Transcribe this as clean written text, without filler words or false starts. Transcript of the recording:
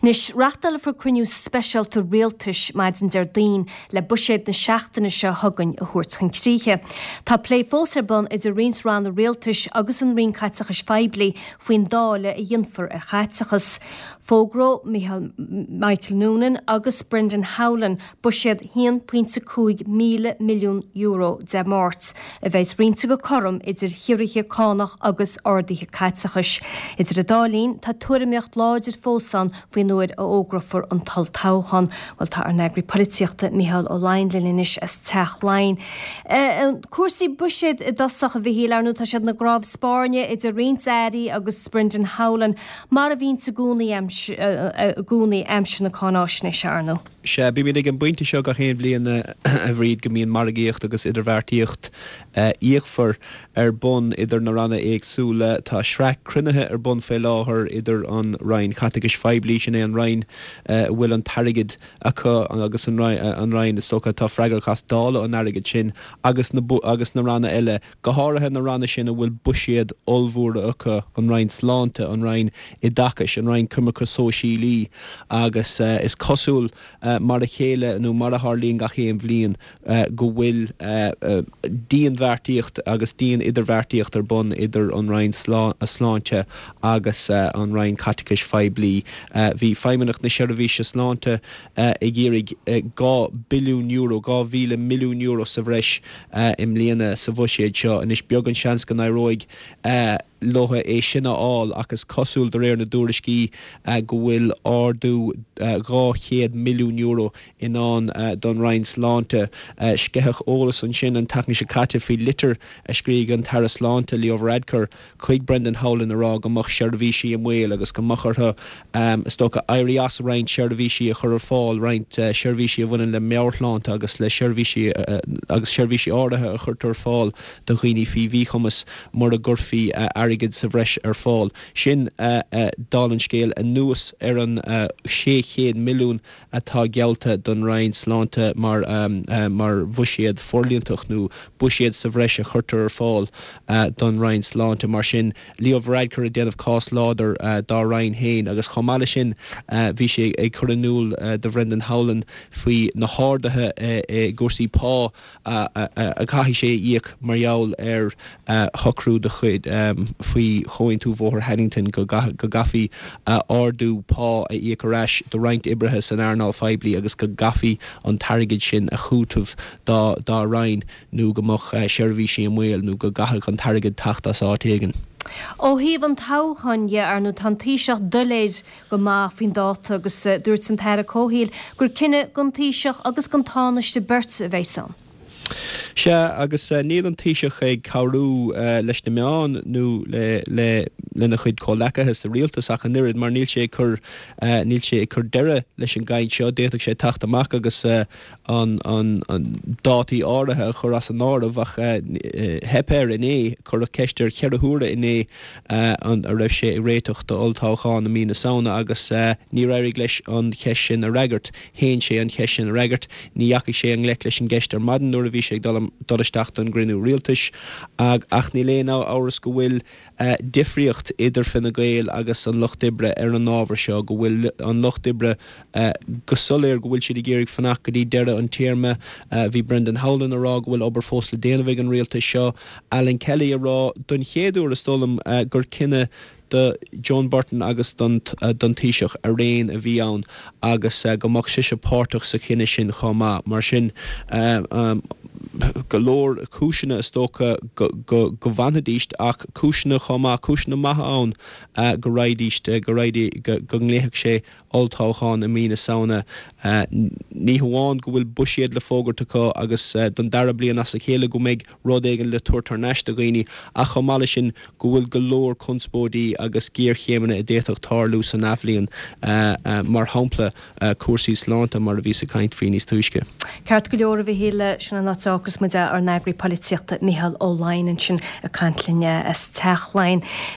Anois, reáchtálfar cruinniú speisialta rialtais maidin Déardaoin le buiséad na seachtaine seo chugainn a thabhairt chun críche. Tá plé fós ar bun idir roinnt ranna rialtais agus an Roinn Caiteachais Phoiblí faoin dáileadh a dhéanfar ar chaiteachas. Fógróidh Michael Noonan agus Brendan Howlin buiséad €1.5 míle milliún Dé Máirt, a bheidh roinnte go cothrom idir chiorruithe cánach agus arduithe caiteachais. Idir an dá linn, tá tuairimíocht láidir fós ann faoin uair a fhógrófar an t-olltoghchán. Bhuel, tá ár n-eagraí polaitíochta Micheál Ó Laighin linn anois as Teach Laighean. Cúrsaí buiséid i dtosach, a Mhichíl, ar ndóigh tá siad ina gcnámh spairne idir roinnt airí agus Brendan Howlin, mar a bhíonns i gcónaí i gcónaí aimsir na cáináisnéise, ar ndóigh. Sea, bímid ag an bpointe seo gach aon bhliain, a Bhríd, go mbíonn margaíocht agus idirbheartaíocht fhíochmhar ar bun idir na ranna éagsúla. Tá sraith cruinnithe ar bun faoi láthair idir an Roinn Chaiteachais Phoiblí, sin é an Roinn a bhfuil an t-airgead acu agus an Roinn, is dócha, atá freagrach as dáileadh an airgid sin, agus na agus na ranna eile. go háirithe na ranna sin a bhfuil buiséid ollmhóra acu, an Roinn Sláinte, an Roinn Oideachais, an Roinn Coimirce Sóisialaí, agus is cosúil, mar a chéile nó mar a tharlaíonn gach aon bhliain, go bhfuil dianbheartaíocht agus dian-idirbheartaíocht ar bun idir an Roinn Sláinte agus an Roinn Caiteachais Phoiblí. Bhí Feidhmeannacht na Seirbhíse Sláinte ag iarraidh €2 billiún, €2,000 milliún sa bhreis i mbliana sa bhuiséad seo. Anois, beag an seans go n-éireoidh leo é sin a fháil ach is cosúil, de réir na dtuairiscí, go bhfuil ardú €200 milliún i ndán don Roinn Sláinte. Sceitheadh eolas ansin an tseachtain seo caite faoi litir a scrígh an tAire Sláinte, Leo Varadkar, chuig Brendan Howlin a rá go mbeadh seirbhísí i mbaol agus go mbeadh orthu, is dócha, éirí as roinnt seirbhísí a chur ar fáil, roinnt seirbhísí a bhaineann le meabhairshláinte agus le seirbhísí agus seirbhísí áirithe a chuirtear ar fáil do dhaoine faoi mhíchumas mura gcuirfí airgead sa bhreis ar fáil. Sin, dála an scéil, anuas ar an 600 milliún atá geallta don Roinn Sláinte mar mar bhuiséad forlíontach nó buiséad sa bhreis a chuirtear ar fáil don Roinn Sláinte. Mar sin, Leo Varadkar ag déanamh cás láidir dá roinn féin agus chomh maith leis sin bhí sé ag cur in iúl do Bhrendan Howlin faoi na harduithe i gcúrsaí pá a chaithfidh sé a íoc mar gheall ar shocrú de chuid faoi Chomhaontú Bhóthar Haddington go gcaithfí ardú pá a íoc ar ais do roinnt oibrithe san earnáil phoiblí agus go gcaithfí an t-airgead sin a chúiteamh dá roinn nó go mbeadh seirbhísí i mbaol nó go gcaithfeadh an t-airgead teacht as áit éigin. Ó thaobh an toghcháin dhe, ar ndóigh, tá an Taoiseach doiléir go maith faoin dáta agus dúirt an tAire Comhshaoil gur cinneadh don Taoiseach agus don Tánaiste beirt a bheas ann. Sea, agus níl an Taoiseach ag cabhrú leis na meáin nó le lena chuid comhleacaithe sa rialtas ach an oiread mar níl sé ag cur níl sé ag cur deireadh leis an gcaint seo. D'fhéadfadh sé teacht amach agus an dátaí áirithe a chur as an áireamh ach theip air inné. Cuireadh ceist air cheithre huaire inné an raibh sé ag réiteach d'olltoghchán i mí na Samhna agus níor éirigh leis an cheist sin a fhreagairt. Shéan sé an cheist sin a fhreagairt. Ní dheachaigh sé i ngleic leis an gceist ar maidin nuair a bhí sé ag dul isteach don gcruinniú rialtais ach níl aon amhras go bhfuil difríocht idir Fine Gael agus an Lucht Oibre ar an ábhar seo, go bhfuil an Lucht Oibre go soiléir go bhfuil siad ag iarraidh fanacht go dtí deireadh an téarma. Bhí Brendan Howlin ag rá go bhfuil obair fós le déanamh ag an rialtas seo. Alan Kelly ag rá don chéad uair is dóigh liom gur cinneadh do Joan Burton agus don Taoiseach araon a bhí ann agus go mbeadh sise páirteach sa chinneadh sin chomh maith. Mar sin, go leor cúiseanna is dócha go bhfanfaidís ach cúiseanna chomh maith, cúiseanna maithe ann go raghaidís, go raghaidís, go nglaofadh sé olltoghchán i mí na Samhna. Ní hamháin go bhfuil buiséad le fógairt acu agus don dara bliain as a chéile go mbeidh rud éigin le tabhairt thar n-ais do dhaoine ach chomh maith leis sin go bhfuil go leor conspóidí agus géarchéimeanna a d'fhéadfadh tarlú san athbhliain, mar shampla cúrsaí sláinte mar a bhíos ag caint faoi níos túisce. Ceart go leor, a Mhichíl, sin an áit a fhágfas muid é, ár n-eagraí polaitíochta Micheál Ó Laighin ansin ag caint linn as Teach Laighean.